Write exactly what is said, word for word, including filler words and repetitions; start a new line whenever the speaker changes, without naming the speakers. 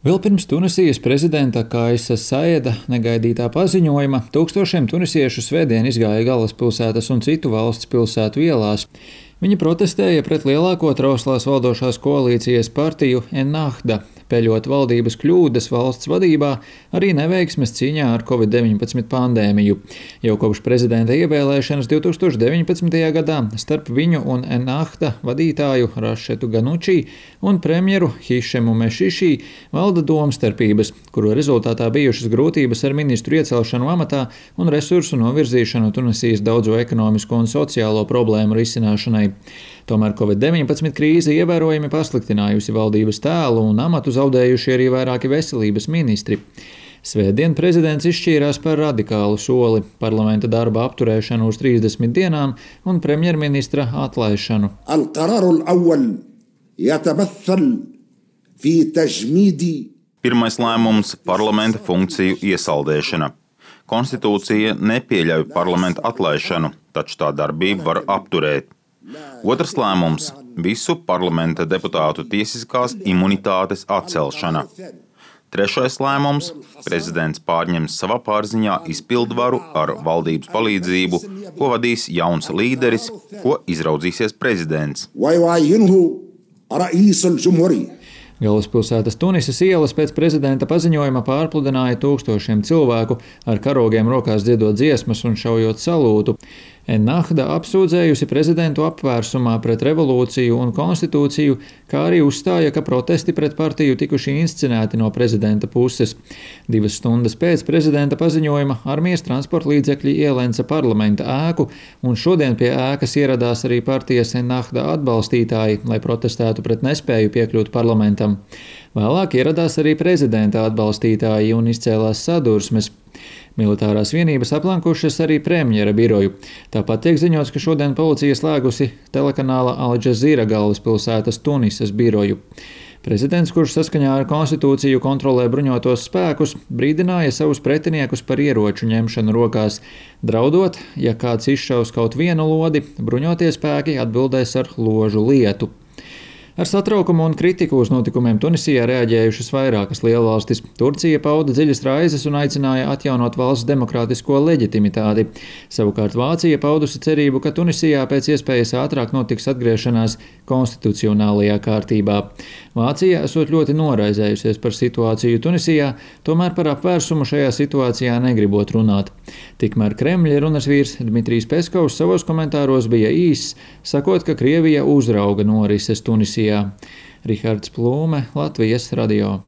Vēl pirms Tunisijas prezidenta Kaisa Saida negaidītā paziņojuma tūkstošiem tunisiešu svētdien izgāja galvaspilsētas un citu valsts pilsētu ielās. Viņi protestēja pret lielāko trauslās valdošās koalīcijas partiju Ennahda, peļot valdības kļūdas valsts vadībā, arī neveiksmes cīņā ar covid deviņpadsmit pandēmiju. Jau kopš prezidenta ievēlēšanas divs tūkstoši deviņpadsmitajā gadā starp viņu un Ennahda vadītāju Rašetu Ganuči un premjeru Hišemu Mešiši valda domstarpības, kuru rezultātā bijušas grūtības ar ministru iecelšanu amatā un resursu novirzīšanu Tunisijas daudzo ekonomisko un sociālo problēmu risināšanai. Tomēr covid deviņpadsmit krīze ievērojami pasliktinājusi valdības tēlu un amatu zaudējuši arī vairāki veselības ministri. Svētdien prezidents izšķīrās par radikālu soli – parlamenta darba apturēšanu uz trīsdesmit dienām un premjerministra atlaišanu.
Pirmais lēmums – parlamenta funkciju iesaldēšana. Konstitūcija nepieļauj parlamenta atlaišanu, taču tā darbību var apturēt. Otrs lēmums – visu parlamenta deputātu tiesiskās imunitātes atcelšana. Trešais lēmums – prezidents pārņems savā pārziņā izpildvaru ar valdības palīdzību, ko vadīs jauns līderis, ko izraudzīsies prezidents.
Galvaspilsētas Tunisas ielas pēc prezidenta paziņojuma pārpludināja tūkstošiem cilvēku, ar karogiem rokās dziedot dziesmas un šaujot salūtu. Ennahda apsūdzējusi prezidentu apvērsumā pret revolūciju un konstitūciju, kā arī uzstāja, ka protesti pret partiju tikuši inscenēti no prezidenta puses. Divas stundas pēc prezidenta paziņojuma armijas transporta līdzekļi ielenca parlamenta ēku, un šodien pie ēkas ieradās arī partijas Ennahda atbalstītāji, lai protestētu pret nespēju piekļūt parlamentam. Vēlāk ieradās arī prezidenta atbalstītāji un izcēlās sadursmes. Militārās vienības aplankušas arī premjera biroju. Tāpat tiek ziņots, ka šodien policija slēgusi telekanāla Al Jazeera galvaspilsētas Tunisas biroju. Prezidents, kurš saskaņā ar konstitūciju kontrolē bruņotos spēkus, brīdināja savus pretiniekus par ieroču ņemšanu rokās, draudot, ja kāds izšaus kaut vienu lodi, bruņotie spēki atbildēs ar ložu lietu. Ar satraukumu un kritiku uz notikumiem Tunisijā reaģējušas vairākas lielvalstis. Turcija pauda dziļas raizes un aicināja atjaunot valsts demokrātisko leģitimitāti. Savukārt Vācija paudusi cerību, ka Tunisijā pēc iespējas ātrāk notiks atgriešanās konstitucionālajā kārtībā. Vācija esot ļoti noraizējusies par situāciju Tunisijā, tomēr par apvērsumu šajā situācijā negribot runāt. Tikmēr Kremļa runas vīrs Dmitrijs Peskovs savos komentāros bija īss, sakot, ka Krievija uzrauga norises Tunisijā. Rihards Plūme, Latvijas radio.